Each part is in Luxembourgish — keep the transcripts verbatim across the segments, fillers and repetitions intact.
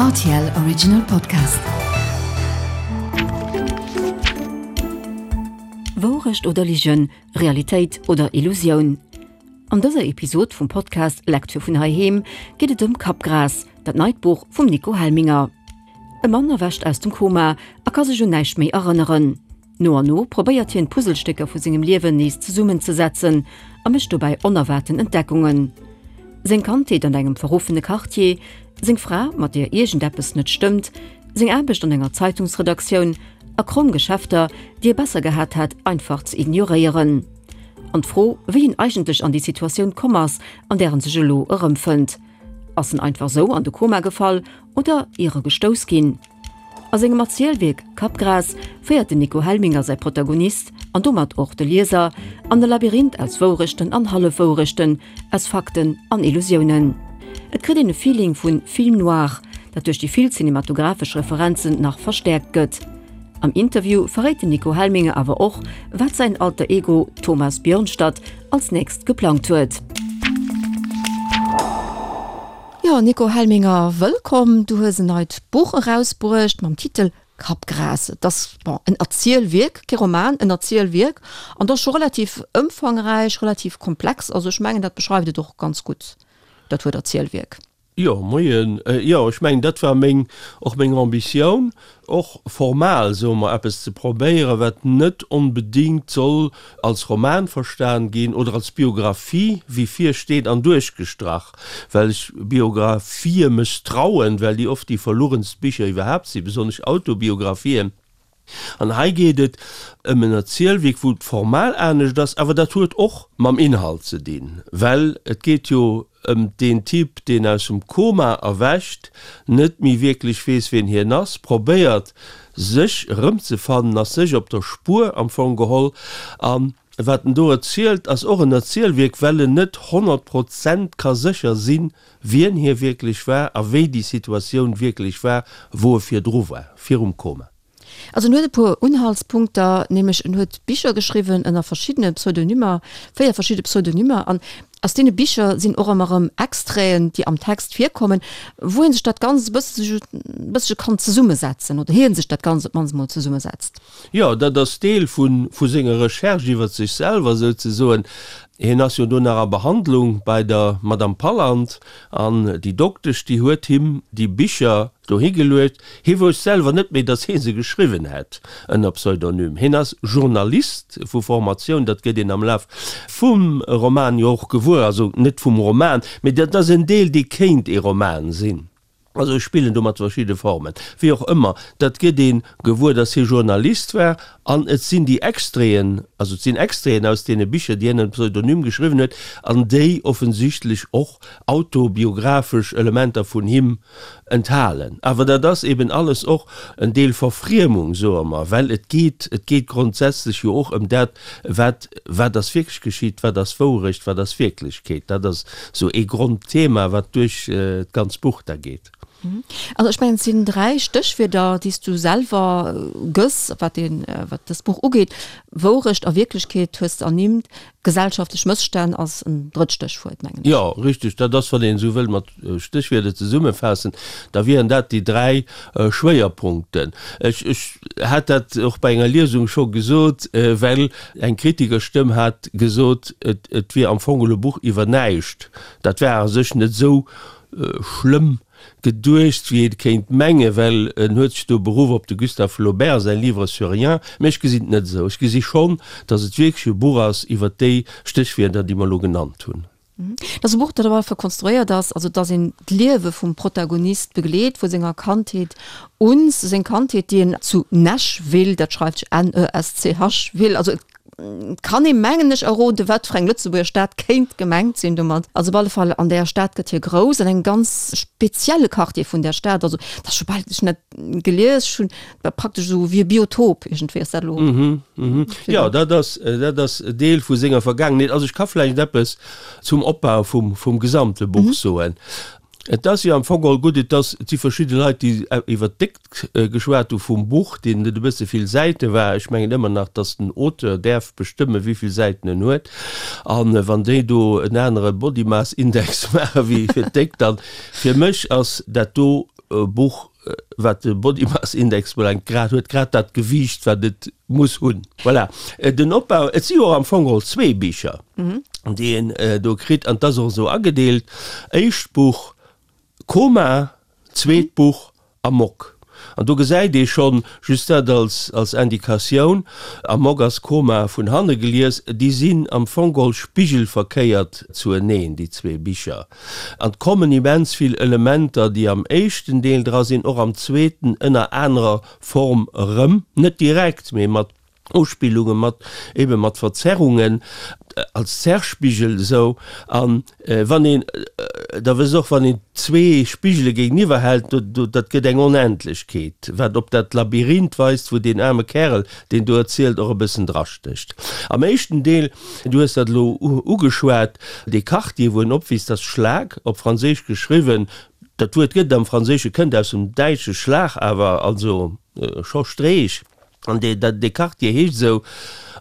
R T L Original Podcast. Wourecht oder Ligen, Realitéit oder Illusioun? An dëser Episod vum Podcast Lecture vun heiheem geet et ëm Kappgras, dat neit Buch vum Nico Helminger. E Mann erwächt aus dem Koma a ka sech un näischt méi erënneren. No an no probéiert hien d'Puzzlestécker vu sengem Liewen nees zesummenzesetzen a mécht dobäi onerwaarten Entdeckungen. Seng Kandheet an engem verruffene Quartier, seng Fra, mat där iergendeppes net stëmmt, seng Aarbecht an enger Zeitungsredaktioun a kromm Geschäfter, déi e besser gehat hätt, einfach ze ignoréieren. An d'Fro, wéi en eigentlech an déi Situatioun komm ass, an där en sech elo erëmfënnt. Ass en einfach sou an de Koma gefall oder iregestouss ginn? A sengem Erzielwierk Kappgras féiert den Nico Helminger säi Protagonist, an domat och de Lieser, an e Labyrinth aus Wourechten an Hallefwourechten, aus Fakten an Illusiounen. Et kritt een e Feeling vu Film noir, dat duerch déi vill cinematographesch Referenzen nach verstäerkt gëtt. Am Interview verréit den Nico Helminger awer och, wat säin Alter Ego Thomas Björnstad als nächst geplangt huet. Jo, Nico Helminger, wëllkomm. Du hues en neit Buch erausbruecht mam Titel Kappgras. Et ass, bon, en Erzielwierk, kee Roman, en Erzielwierk. An dat ass scho relativ ëmfangräich, relativ komplex. Also ech mengen, dat beschreift et och ganz gutt, dat Wuert Erzielwierk. Jo, moien. Jo, ech mengen, dat war meng, och meng Ambitioun, och formal, soe mer, eppes ze probéieren, wat net onbedéngt soll als Roman verstan ginn oder als Biographie, wéi vir steet an duerchgestrach, well ech Biographië mësstrauen, well déi oft déi verlugenst Bicher iwwerhaapt sinn, besonnesch Autobiographien. An hei geet et ëm en Erzielwierk, wou et formal anescht ass, awer dat huet och mam Inhalt ze dinn, well et geet jo ëm deen Typ, deen aus dem Koma erwächt, net méi wierklech weess, wien hien ass, probéiert, sech erëmzefannen, ass sech op der Spuer am Fong geholl. A wat en do erzielt, ass och en Erzielwierk, well en net honnert Prozent ka sécher sinn, wien hie wierklech war a wéi déi Situatioun wierklech war, wou e virdru war, virum Koma. Also en huet e puer Unhaltspunkter, nämlech en huet Bicher geschriwwen ënner verschiddene Pseudonymer, véier verschidde Pseudonymer, an aus deene Bicher sinn och ëmmer erëm Extraiten, déi am Text virkommen, wou ee sech dat Ganzt e bëssche bëssche kann zesummesetzen oder hien sech dat Ganzt op d'mannst emol zesummesetzt. Jo, dat ass Deel vu vu senger Recherche iwwer sech selwer souzesoen. Hien ass jo do nach a Behandlung bei der Madame Palland an déi Doktesch, déi huet him déi Bicher dohi geluecht. Hie wousst selwer net méi, datt hie se geschriwwen hätt ënner Pseudonym. Hien ass Journalist vu Formatioun, dat gëtt een am Laf vum Roman jo och gewuer, also net vum Roman, mee dat ass en Deel, dee kéint ee Roman sinn. Also ech spillen do mat verschidde Formen. Wéi och ëmmer, dat gëtt ee gewuer, datt hie Journalist war an et sinn déi Extraiten, also et sinn Extraiten aus deene Bicher, déi hien ënner Pseudonym geschriwwen huet an déi offensichtlech och autobiographesch Elementer vun him enthalen. Awer dat ass eben alles och en Deel Verfriemung, soe mer, well et geet, et geet grondsätzlech jo och ëm dat, wat, wat ass wierklech geschitt, wat ass Wourecht, wat ass Wierklechkeet. Dat ass sou ee Grondthema, wat duerch d'ganz Buch da geet. Also ech mengen, et sinn dräi Stéchwierder, déi s du selwer gëss, wat deen, wat dëst Buch ugeet, Wourecht a Wierklechkeet hues de ernimmt, gesellschaftlech Mësstänn ass en drëtt Stéchwuert, mengen ech. Jo, richteg. Dat ass, wann een esou wëll mat Stéchwierder zesummefaassen, da wieren dat déi dräi Schwéierpunkten. Ech, ech hat dat och bei enger Liesung scho gesot, well eng Kritikerstëmm hat gesot, et, et wier am Fong e Buch iwwer näischt. Dat war a sech net esou schlëmm geduecht, wéi ee kéint mengen, well en huet sech do beruff op de Gustave Flaubert säin Livre sur rien. Mä ech gesinn et net esou. Ech gesi schonn, datt et wierklech e Buch ass iwwer déi Stéchwierder, déi mer elo genannt hunn. Et ass e Buch, dat op alle Fall konstruéiert ass, also datt een d'Liewe vum Protagonist begleet, vu senger Kandheet un, seng Kandheet, déi en zu Neschville, dat schreift sech N E S C H ville, also et kann ee mengen ech erroden, wat fir eng Lëtzebuerger Stad kéint gemengt sinn domat. Also op alle Fall an där Stad gëtt hie grouss, an engem ganz spezielle Quartier vun där Stad. Also dat ass scho bal, ech hunn dat gelies, ech hunn, war praktesch esou wéi e Biotop iergendwéi ass dat elo. Mhm, mhm. Jo, dat ass, dat ass Deel vu senger Vergaangenheet. Also ech ka vläicht eppes zum Opbau vum, vum gesamte Buch soen. Et ass jo am Fong geholl gutt, et ass, et si verschidde Leit, déi iwwert d'Déckt geschwat hu vum Buch, deenen et e bësse vill Säite war. Ech mengen ëmmer nach, datt den Auteur däerf bestëmmen, wéi vill Säiten en huet. A wann déi do en anere Body-Mass-Index maache wéi fir d'Déckt, dann, fir mech ass dat do Buch, wat de Body Mass Index ubelaangt, grad, huet grad dat Gewiicht, wat et muss hunn. Voilà. Den Opbau, et si jo och am Fong geholl zwee Bicher, déi een do kritt, an 't ass och esou agedeelt, éischt Buch Koma, zweet Buch Amok. An do gesäit ee schonn, just dat als, als Indikatioun, Amok ass Koma vun hanne gelies, déi sinn am Fong geholl spigelverkéiert zueneen, déi zwee Bicher. An 't kommen immens vill Elementer, déi am éischten Deel dra sinn, och am zweeten ënner anerer Form erëm, net direkt, mee mat Uspillungen, mat ebe mat Verzerrungen, als Zerrspigel esou. An wann een, da wësst och, wann een zwee Spigele géigeniwwer hält, do, do, dat gëtt eng Onendlechkeet, wat op dat Labyrinth weist, wou deen aarme Kärel, deen do erzielt, och e bëssen drastécht. Am éischten Deel, du hues dat elo ugeschwat, dee Quartier, wou en opwiisst, ass Schlag, op Franséisch geschriwwen. Dat Wuert gëtt am Franséische, kënnt aus dem Däitsche Schlag, awer also scho Streech. An dee, dat, dee Quartier heescht esou.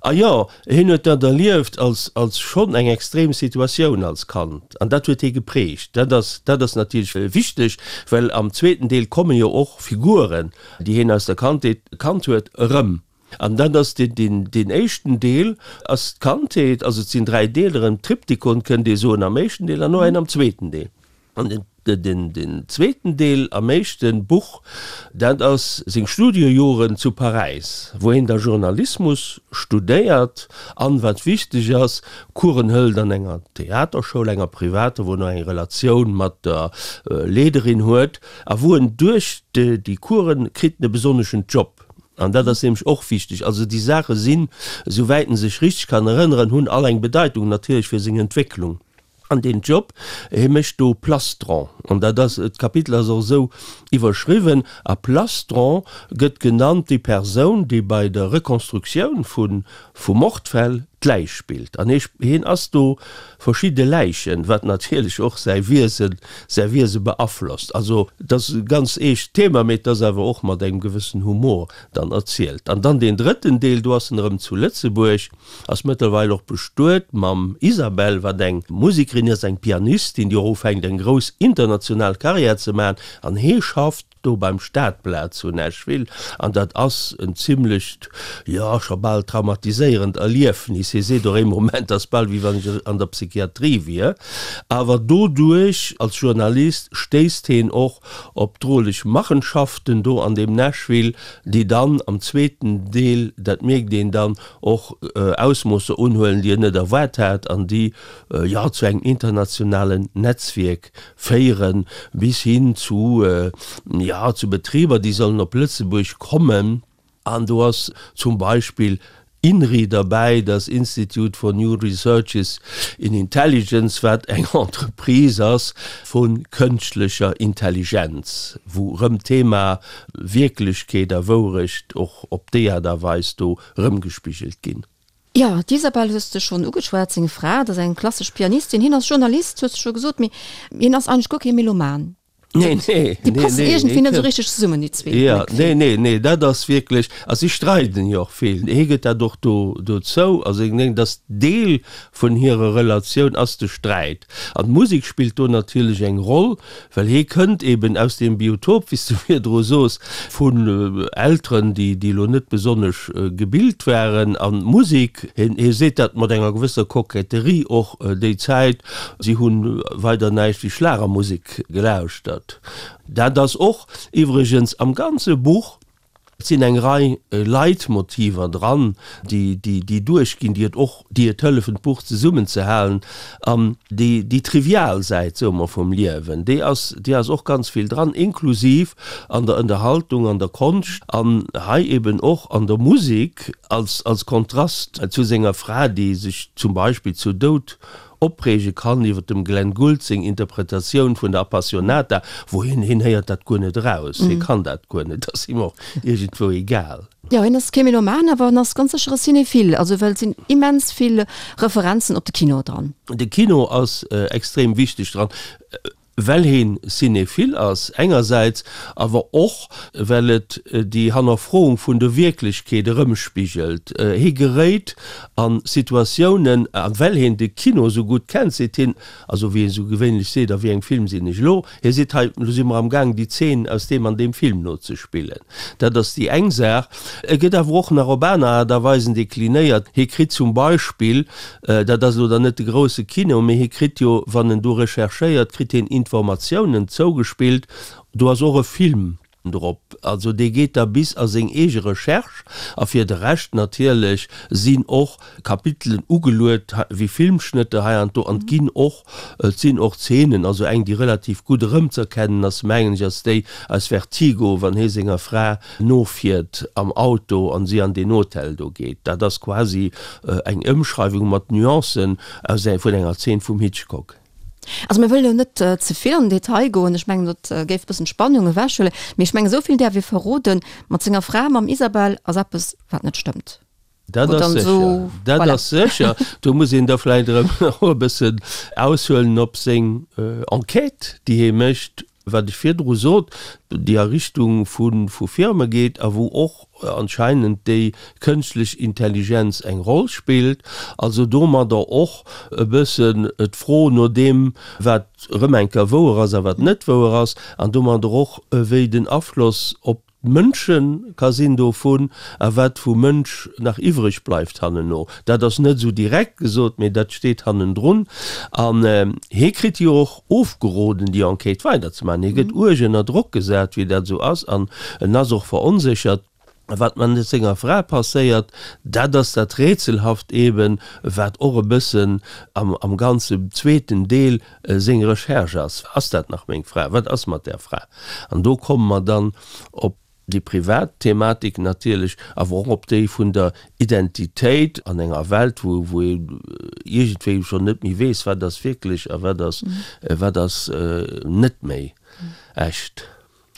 A jo, hien huet dat erlieft als, als schonn eng extrem Situatioun als Kand. An dat huet hie geprägt. Dat ass, dat ass natierlech wichteg, well am zweeten Deel komme jo och Figuren, déi hien aus der Kandheet kannt huet, erëm. An dat ass deen, deen, deen éischten Deel ass d'Kandheet, also et sinn dräi Deeler, en Triptychon kënnt ee soen am éischten Deel an och een am zweeten Deel. An den, den, den zweeten Deel am éischte Buch, dat ass seng Studiejoren zu Paräis, wou hien da Journalismus studéiert an, wat wichteg ass, Coursen hëlt an enger Theaterschoul, enger privater, wou en och eng Relatioun mat der Leederin huet a wou en duerch déi Coursen kritt en e besonneschen Job. An dat ass nämlech och wichteg. Also déi Saache sinn, esouwäit en sech richteg kann erënneren, hunn all eng Bedeitung natierlech fir seng Entwécklung. An deen Job, hie mécht do Plastron, an dat ass, d'Kapitel ass och esou iwwerschriwwen, a Plastron gëtt genannt déi Persoun, déi bei der Rekonstruktioun vu vu Mordfäll d'Läich spillt. An hie hien ass do verschidde Läichen, wat natierlech och säi Wiesen, säi Wiese beaflosst. Also, et ass e ganz eescht Thema, mee et ass awer och mat engem gewëssen Humor dann erzielt. An dann deen drëtten Deel, do ass en erëm zu Lëtzebuerg, Ass mëttlerweil och bestuet mam Isabelle, wat eng Musekerin ass, eng Pianistin, déi och ufänkt eng grouss international Karriär ze maachen. An hee schafft do beim Stadblad zu Nashville. An dat ass en zimmlecht, jo, scho bal traumatiséierend Erliefnis. Hie seet och ee Moment, ass bal wéi wann ech an der Psychiatrie wier. Awer doduerch, als Journalist, stéisst heen och op droleg Machenschaften do an deem Nashville, déi dann am zweeten Deel, dat mierkt een dann, och Ausmoosser unhuelen, déi en net erwaart hat an déi, jo, zu engem internationalen Netzwierk féieren, bis hin zu, jo, zu Betriber, déi sollen op Lëtzebuerg kommen. An do ass zum Beispill INRI derbäi, das Institute for New Researches in Intelligence, wat eng Entreprise ass vu kënschtlecher Intelligenz, wou erëm d'Thema Wierklechkeet a Wourecht och op déi Aart a Weis do erëmgespigelt ginn. Jo, d'Isabel hues de schonn ugeschwat, seng Fra, dat ass eng klassesch Pianistin. Hien ass Journalist, hues de scho gesot, mee hien ass eigentlech guer kee Meloman. Nee, nee, Déi nee, passen nee, iergendwéi net nee. esou richteg zesummen, déi zwee, Ja, hunn ech nee, d'Gefill. nee, nee, dat ass wierklech, a si streiden jo och vill. Hie gëtt dat och do, do zou. Also ech mengen, dass Deel vun hirer Relatioun ass de Sträit. An d'Musek spillt do natierlech eng Roll, well hie kënnt eben aus deem Biotop, wéi s de virdru soos, vun Elteren, déi, déi elo net besonnesch gebilt waren. An d'Musek, hien, hie seet dat mat enger gewësser Koketterie och déi Zäit, si hunn weider näischt wéi Schlagermusek gelauschtert. Dat ass och iwwregens am ganze Buch, et sinn eng Rei Leitmotiver dran, déi, déi, déi duerchginn, déi et och, déi et hëllefen, d'Buch zesummenzehalen. An déi, déi trivial Säit, soe mer, vum Liewen, déi ass, déi ass och ganz vill dran, inklusiv an der Ënnerhaltung, an der Konscht an hei eben och an der Musek, als, als Kontrast zu senger Fra, déi sech zum Beispill zu Doud opreege kann iwwer dem Glenn Gould seng Interpretatioun vun der Appassionata, wou hien, hien héiert dat guer net eraus, hie kann dat guer net, dat ass him och iergendwou egal. Jo, hien ass kee Meloman, awer en ass ganz sécher e Cinéphile, also well et sinn immens vill Referenzen op de Kino dran. De Kino ass extrem wichteg dran. well hien Cinéphile ass engersäits, awer och well et déi Hannerfroung vun der Wierklechkeet erëmspigelt. Hie geréit a Situatiounen, a well hien de Kino esou gutt kennt, seet hien, also wéi een esou gewéinlech seet, a wéi engem Film sinn ech elo? Hie seet, hei, elo si mer am Gaang déi Zeen aus deem an deem Film nozespillen. Dat ass déi eng Saach. E gëtt awer och nach op aner Aart a Weisen deklinéiert. Hie kritt zum Beispill, dat ass elo dann net de grousse Kino, mee hie kritt jo, wann en do recherchéiert, kritt hien Informatiounen zougespillt, do ass och e Film drop, also dee geet da bis a seng eege Recherche. A fir de Rescht natierlech sinn och Kapitelen ugeluet wéi Filmschnëtter hei an do an et ginn och, et sinn och Zeenen, also eng déi relativ gutt erëmz'erkennen ass, mengen ech, ass déi aus Vertigo, wann hie senger Fra nofiert am Auto an si an deen Hotel do geet. Dat ass quasi eng Ëmschreiwung mat Nuancen aus vun enger Zeen vum Hitchcock. Also mir wëllen elo net ze vill an den Detail goen, ech mengen dat géif e bëssen d'Spannung ewechhuelen, mee ech mengen esou vill däerf ee verroden, mat senger Fra, mam Isabel, ass eppes wat net stëmmt. Dat ass sécher, dat ass sécher. Do muss een da vläicht erëm och e bëssen aushuelen op seng Enquête, déi hie mécht, wat ech virdru sot, déi a Richtung vu Firme geet a wou och anscheinend déi kënschtlech Intelligenz eng Roll spillt. Also domadder och e bëssen d'Fro no deem, wat erëm eng Kéier wouer ass a wat net wouer ass, an domadder och wéi den Afloss op d'Mënsche ka sinn dovun a wat vum Mënsch nach iwwreg bleift hanneno. Dat ass net esou direkt gesot, mee dat steet hannendrun. An hie kritt jo och ofgeroden, déi Enquête weiderzemaachen. Hie gëtt uerg ënner Drock gesat, wéi dat esou ass, an en ass och veronséchert. Wat mat senger Fra passéiert, dat ass dat Rätselhaft eben, wat och e bëssen am ganzen zweeten Deel seng Recherche ass, Ass dat nach meng Fra? Wat ass mat där Fra? An do komme mer dann op déi privat Thematik natierlech, awer och op déi vun der Identitéit an enger Welt, wou wou ee iergendwéi schonn net méi weess, wat ass wierklech a wat ass wat ass net méi echt.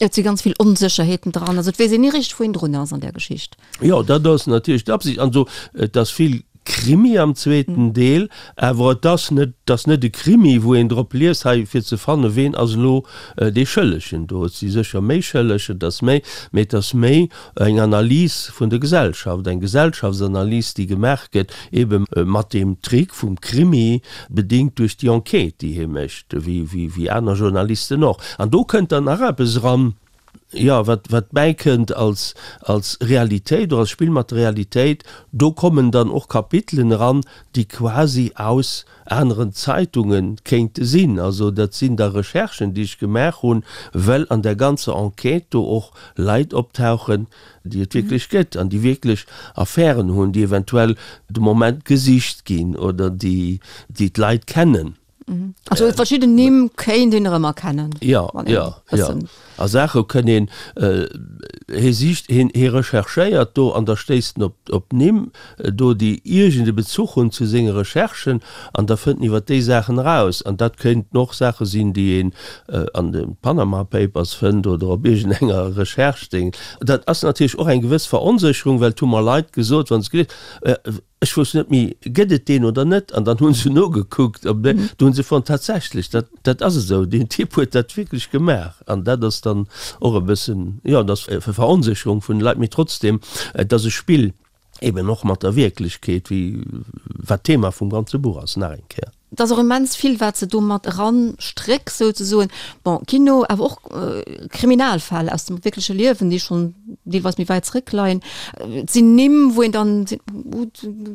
Et si ganz vill Onsécherheeten dran, also et weess een ni richteg, wou een drun ass an där Geschicht. Jo, dat ass natierlech d'Absicht. Also et ass vill Krimi am zweeten Deel, awer et ass net, et ass net e Krimi, wou een drop liest hei fir ze fannen, ween ass elo dee Schëllegen do. Et si sécher méi Schëlleg, et ass méi, mee et ass méi eng Analys vun der Gesellschaft, eng Gesellschaftsanalys, déi gemaach gëtt, ebe mat deem Trick vum Krimi, bedéngt duerch déi Enquête, déi hie mécht, wéi, wéi aner Journalisten och. An do kënnt dann nach eppes eran, jo, wat, wat bäikënnt als, als Realitéit oder als Spill mat der Realitéit, do kommen dann och Kapitelen eran, déi quasi aus aneren Zeitunge kéinte sinn. Also dat sinn da Recherchen, déi ech gemaach hunn, well an där ganzer Enquête do och Leit optauchen, déi et wierklech gëtt an déi wierklech Affären hunn, déi eventuell de Moment gesicht ginn oder déi, déi d'Leit kennen. Also verschidden Nimm kéint een erëm erkennen. Jo, jo, jo. A Saache kënn een, hie sicht, hien, hie recherchéiert do an da stéisst en op, op Nimm do, déi iergend e Bezuch hunn zu senge Recherchen an da fënnt en iwwer déi Saachen eraus. An dat kéinten och Saache sinn, déi een an de Panama Papers fënnt oder op iergendenger Recherche-Ding. Dat ass natierlech och eng gewëss Veronsécherung, well et hu mer Leit gesot, wa se gelies, Ech wousst net méi, gëtt et deen oder net? An dann hu se nogekuckt an do hu se fonnt, tatsächlech, dat, dat ass esou, deen Typ huet dat wierklech gemaach. An dat ass dann och e bëssen, jo, dat ass e Veronsécherung vun de Leit, mee trotzdem, et ass e Spill eben och mat der Wierklechkeet, wéi wat d'Thema vum ganze Buch ass, nach eng Kéier. Et ass och immens vill, wat se do mat eran stréckt souzesoen. Bon, Kino, awer och Kriminalfäll aus dem wierkleche Liewen, déi schonn deelweis méi wäit zréckleien. Et sinn Nimm, wou een dann seet,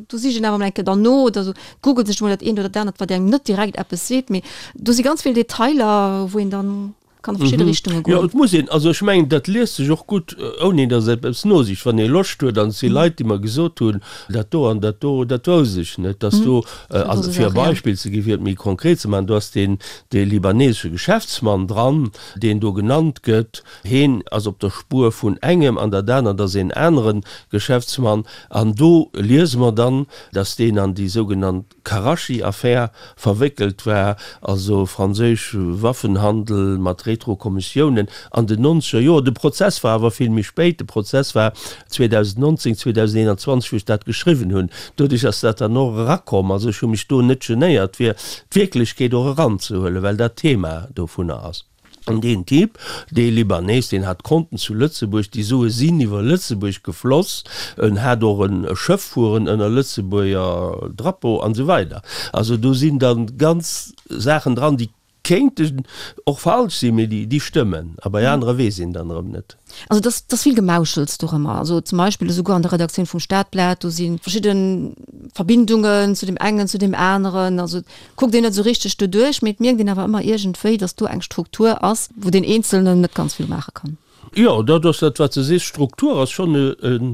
do sicht een awer emol eng Kéier dann no oder sou, googelt sech emol dat eent oder dat anert, wat engem net direkt eppes seet. Mee do si ganz vill Detailer, wou een dann kann a verschidde Richtunge Jo, goen. et muss een, also ech mengen, dat liest sech och gutt, ouni datt een eppes nosicht, wann ee Loscht huet. An et si Leit, déi mer gesot hunn, dat do an dat do, dat wousst ech net, datt do, also fir e Beispill ze ginn, fir et méi konkret ze maachen, do ass deen, dee libanesesche Geschäftsmann dran, deen do genannt gëtt, heen ass op der Spuer vun engem an dat anert ass een anere Geschäftsmann. An do liese mer dann, datt deen an déi sougenannt Karachi-Affär verwéckelt war, also franséisch Waffenhandel mat Rétrokommissiounen an den nonzeger Joer. De Prozess war awer vill méi spéit, de Prozess war zweedausendnonzéng, zweedausendeenanzwanzeg, wou ech dat geschriwwen hunn. Doduerch ass dat dann och erakomm. Also ech hu mech do net genéiert, fir d'Wierklechkeet och eranzehuelen, well dat d'Thema dovunner ass. An deen Typ, dee Libanees, deen hat Konten zu Lëtzebuerg, déi Sue sinn iwwer Lëtzebuerg gefloss, en hat och e Schëff fueren ënner Lëtzebuerger Drapeau an esou weider. Also do sinn da ganz Saachen dran, déi kéinten och falsch sinn, mee déi stëmmen. A bei anere weess een dann erëm net. Also dass dass vill Gemauschels dorëmmer. Also zum Beispill esouguer an der Redaktioun vum Stadblatt, do si verschidde Verbindungen zu deem engen, zu deem aneren. Also et kuckt een net esou richteg doduerch, mee et mierkt een awer ëmmer iergendwéi, dass do eng Struktur ass, wou deen Eenzelnen net ganz vill maache kann. Jo, dat ass dat, wat s de sees. Struktur ass schonn e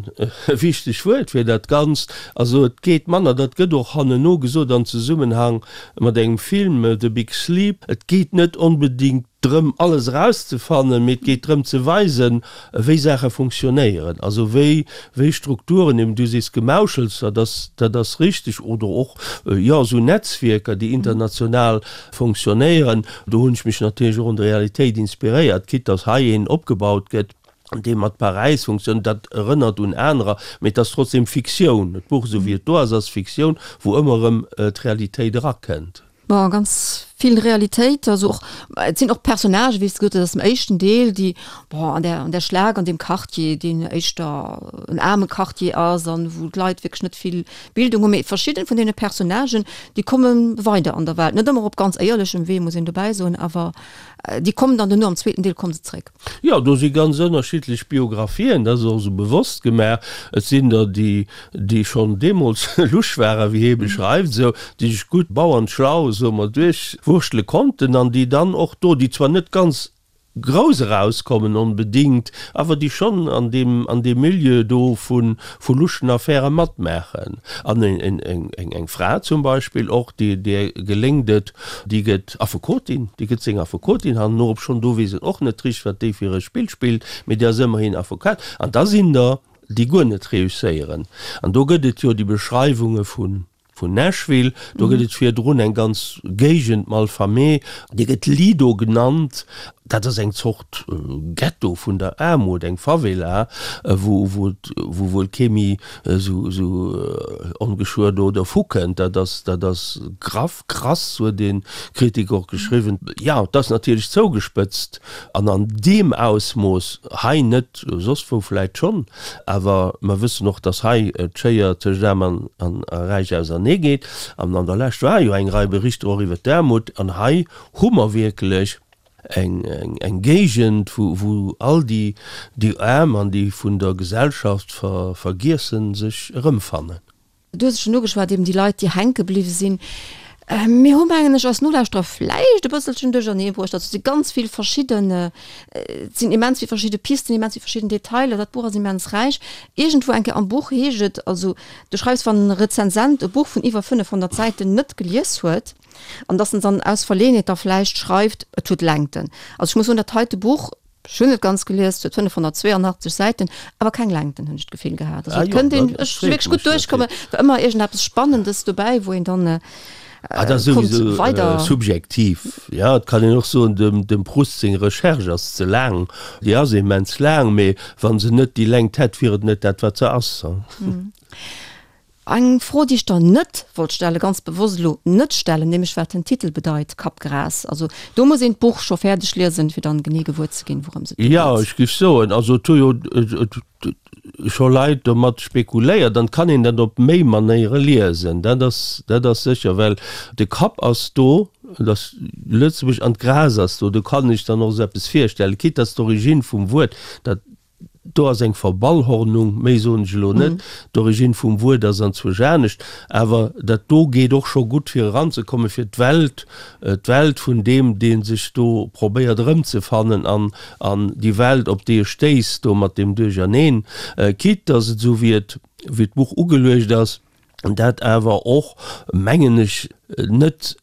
wichteg Wuert fir dat Ganzt. Also et geet manner, dat gëtt och hanneno gesot an Zesummenhang mat engem Film, The Big Sleep, et geet net onbedéngt drëm, alles erauszefannen, mee et geet drëm ze weisen, wéi Saache funktionéieren, also wéi wéi Strukturen, eben du sees Gemauschels, dat ass dat ass richteg, oder och, jo, esou Netzwierker, déi international funktionéieren. Do hunn ech mech natierlech och un der Realitéit inspiréiert, quitte dass hei een opgebaut gëtt, dee mat Paräis funktioniert, dat erënnert un anerer, mee et ass trotzdem Fiktioun. D'Buch, esou wéi et do ass, ass Fiktioun, wou ëmmer erëm d'Realitéit erakënnt. Bon, ganz vill Realitéit, also och, et sinn och Personnagen, wéi s de gesot hues, aus dem éischten Deel, déi, bon, an der, an der Schlag, an deem Quartier, deen éischter en aarme Quartier ass an wou d'Leit wierklech net vill Bildung hunn, mee verschidden vun deene Personnagen, déi komme weider an der Welt, net ëmmer op ganz éierlechem Wee, muss een dobäi soen, awer déi kommen dann duerno am zweeten Deel komme se zréck. Jo, do si ganz ënnerschiddlech Biographien, dat ass och esou bewosst gemaach. Et sinn der, déi, déi schonn deemools lusch waren, wéi hie beschreift, esou, déi sech gutt bauernschlau, soe mer, duerchwurschtele konnten an déi dann och do, déi zwar net ganz grouss erauskommen onbedingt, awer déi schonn an deem, an deem Milieu do vu, vu luschen Affäre matmaachen. An eng, eng, eng, eng Fra zum Beispill och, déi, där geléngt et, déi gëtt Affekotin, déi gëtt seng Affekotin herno, obschonn do weess een och net richteg, wat déi fir e Spill spillt, mee déi ass ëmmerhin Affekat. An da sinn der, déi guer net reusséieren. An do gëtt et jo déi Beschreiwunge vun. Vun Nashville, do gëtt et virdrun eng ganz Géigend Malfamé, déi gëtt Lido genannt, dat ass eng Zort Ghetto vun der Aarmut, eng Favela, wou wou wou wuel kee méi esou esou ongeschuer do dervu kënnt. Dat ass dat ass graff, krass, huet ee Kritiker och geschriwwen. Jo, et ass natierlech zougespëtzt an an deem Ausmooss hei net, soss wou vläit schonn, awer mer wëssen och, dass hei d'Schéier tëscht Aarm an Räich ausernee geet. An an der Lescht war jo eng Rei Berichter och iwwer d'Aarmut. An hei hu mer wierklech eng Géigend, wou all déi Aarm an déi vun der Gesellschaft Vergiessen sech erëmfannen. Du hues et schonn ugeschwat, eben déi Leit, déi hänke bliwwe sinn. Mir hu, mengen ech, eis Nolauschterer vläicht e bësselchen duerchernee bruecht. Also et si ganz vill verschidden, et sinn immens vill verschidde Pisten, immens vill verschidden Detailer. Dat Buch ass immens räich. Iergendwou eng Kéier am Buch heescht et, also du schreifs, wann e Rezensent e Buch vun iwwer fënnefhonnert Säiten net gelies huet, an dass en dann aus Verleeënheet da vläicht schreift, et huet Längten. Also ech muss soen, dat heite Buch, Ech hunn et ganz gelies, et huet fënnefhonnertzweeanachtzeg Säiten, awer keng Längten, hunn ech d'Gefill gehat. Also et kënnt een, ech si wierklech gutt duerchkommen, war ëmmer iergendeppes Spannendes dobäi, wou een dann Ah, dat ass konnt souwisou weider. subjektiv. Jo, et kann een och soen, dem, dem Proust seng Recherche ass ze laang. Déi ass immens laang, mee wa se net déi Längt hätt, wier et net dat, wat se ass. Eng Fro, déi ech der net wollt stellen, ganz bewosst elo net stellen, nämlech wat den Titel bedeit, Kappgras. Also do muss een d'Buch scho fäerdeg liesen, fir dann genee gewuer ze ginn, wourëms et do Jo, geet. ech géif soen, also et hu jo scho Leit domat spekuléiert, dann kann een dat op méi Manéiere liesen, dat ass, dat ass sécher, well de Kapp ass do, et ass Lëtzebuerg an d'Gras ass do, do kann ech dann och esou eppes virstellen, quitte dass d'Origine vum Wuert, dat Do ass eng Verballhornung, méi soen ech elo net. D'Origine vum Wuert ass anzwousch anescht, awer dat do geet och scho gutt fir eranzekommen, fir d'Welt, d'Welt vun deem, dee sech do probéiert erëmzefannen an an déi Welt, op déi e stéisst, do mat deem Duercherneen, quitte dass et, esou wéi et, wéi d'Buch ugeluecht ass, dat awer och, mengen ech, net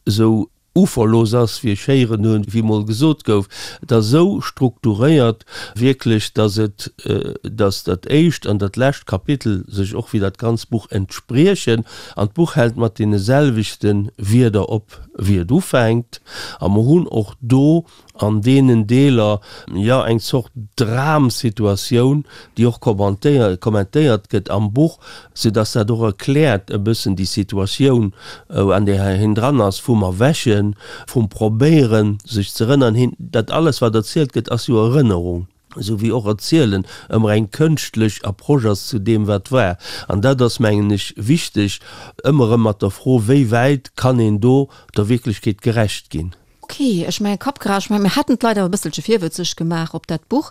esou uferlos ass, wéi ech héieren hunn, wéi mol gesot gouf, et ass esou strukturéiert wierklech, dass et, dass dat éischt an dat lescht Kapitel sech och wéi dat ganzt Buch entspriechen an d'Buch hält mat deene selwechte Wierder op wéi et ufänkt. A mer hunn och do an deenen Deeler, jo, eng Zort Dramsituatioun, déi och kommentéiert gëtt am Buch, soudass dat och erkläert e bëssen déi Situatioun, an där hien dran ass, vum Erwächen, vum Probéieren, sech ze erënnern. Hien, dat alles, wat erzielt gëtt, ass jo Erënnerung, esou wéi och Erzielen ëmmer eng kënschtlech Approche ass zu deem, wat war. An dat ass, mengen ech, wichteg, ëmmer erëm mat der Fro, wéi wäit kann een do der Wierklechkeet gerecht ginn. Ok, ech mengen Kappgras, ech mengen mir hätten d'Leit awer e bësselche virwëtzeg gemaach op dat Buch.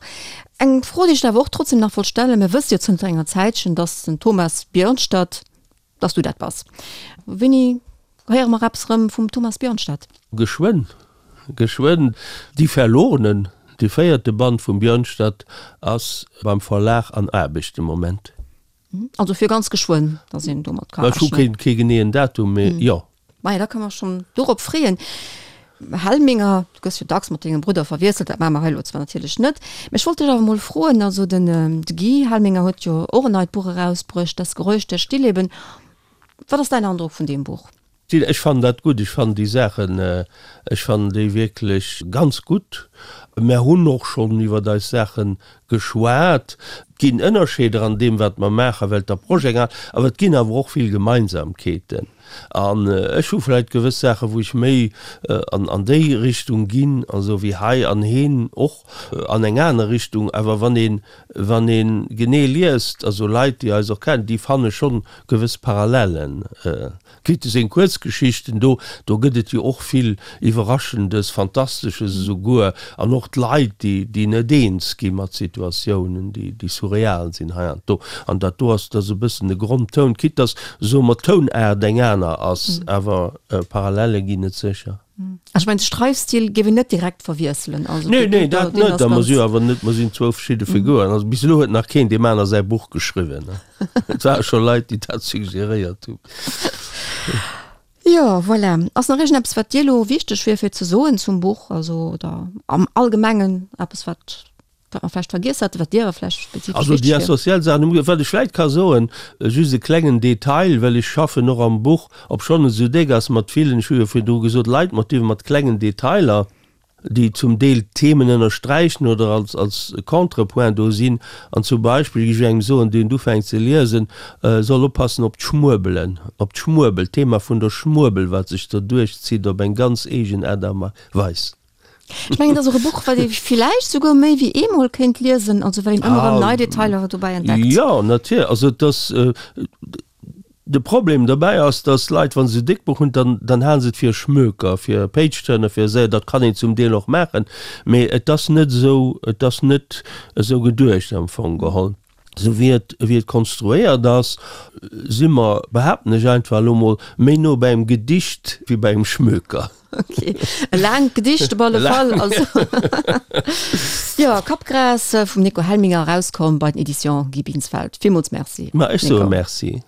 Eng Fro, déi ech der awer och trotzdem nach wollt stellen, Mir wësse jo zënter enger Zäitchen, dass den Thomas Björnstad, dass du dat bass. Wéini héiere mer eppes erëm vum Thomas Björnstad? Geschwënn, geschwënn. Die Verlorenen, de véierte Band vum Björnstad ass beim Verlag an Aarbecht de Moment. Also fir ganz geschwënn, dass een domat ka Ech hu rechnen. keen, kee geneeën Datum, mee jo. Maja, da kënne mer schonn dorop freeën. Helminger, du gëss jo dacks mat dengem Brudder verwiesselt, dat maache mer hei elo zwar natierlech net, mä ech wollt dech awer mol froen, also den de Guy Helminger huet jo och en neit Buch erausbruecht, Das Geräusch der Stillleben. Wat ass däin Androck vun deem Buch? Ech fannen dat gutt, ech fannen déi Saachen, ech fannen déi wierklech ganz gutt. Mär hunn och schonn iwwert eis Saache geschwat. Et ginn Ënnerscheeder an deem, wat mer maachen, well d'Approche eng aner, awer et ginn awer och vill Gemeinsamkeeten. An ech hu vläicht gewëss Saachen, wou ech méi an an déi Richtung ginn, also wéi hei, an heen och an eng aner Richtung. Awer wann een, wann ee genee liest, also Leit, déi eis och kennen, déi fanne schonn gewëss Parallellen. Quitte seng Kuerzgeschichten, do, do gëtt et jo och vill Iwwerraschendes, Fantastesches esouguer, an och d'Leit, déi, déi net eens gi mat Situatiounen, déi, déi surreal sinn heiansdo. An dat do ass, dat ass e bëssen de Grondtoun, quitte dass, soe mer, d'Tounaart eng aner ass, awer Parallele ginn et sécher. Ech mengen, de Schreifstil géif een net direkt verwiesselen. Also Nee, nee, dat net. A mer si jo awer net, mer sinn zwou verschidde Figuren. Also bis elo huet nach keen deem aner säi Buch geschriwwen. Et ware scho Leit, déi dat suggeréiert hunn. Jo, voilà. Ass nach iergendeppes, wat dir elo wichteg wier fir ze soen zum Buch, also oder am Allgemengen eppes, wat wat mer vläicht vergiess hätten, wat dir awer vläicht spezifesch Also déi wichteg wier? essentiell Saachen hu mer, wat ech vläicht ka soen, just e klengen Detail, well ech schaffen och am Buch, obschonn et esou déck ass, mat villen, ech hu jo virdru gesot, Leitmotiven, mat klengen Detailer, déi zum Deel d'Themen ënnersträichen oder als, als Contrepoint do sinn. An zum Beispill géif ech engem soen, deen ufänkt ze liesen, soll oppassen op d'Schmuebelen, op d'Schmuebel, d'Thema vun der Schmuebel, wat sech do duerchzitt op eng ganz eegen Aart a Weis. Ech mengen, et ass och e Buch, wat ee villäicht souguer méi wéi eemol kéint liesen, also well een ëmmer erëm nei Detailer dobäi entdeckt. Jo, natierlech. Also et ass, de Problem dobäi ass, dass Leit, wa se e déckt Buch hunn, dann, dann hale se et fir e Schmöker, fir e Page-Turner, fir esou. Dat kann een zum Deel och maachen, mee et ass net esou, et ass net esou geduecht am Fong geholl. Esou wéi et, wéi et konstruéiert ass, si mer, behaapten ech einfach elo mol, méi no bei engem Gedicht wéi bei engem Schmöker. Ok, e laangt Gedicht op alle Fall. Also jo, Kappgras vum Nico Helminger, erauskomm bei den Editions Guy Binsfeld. Villmools Merci, Ma ech soe Nico. Merci.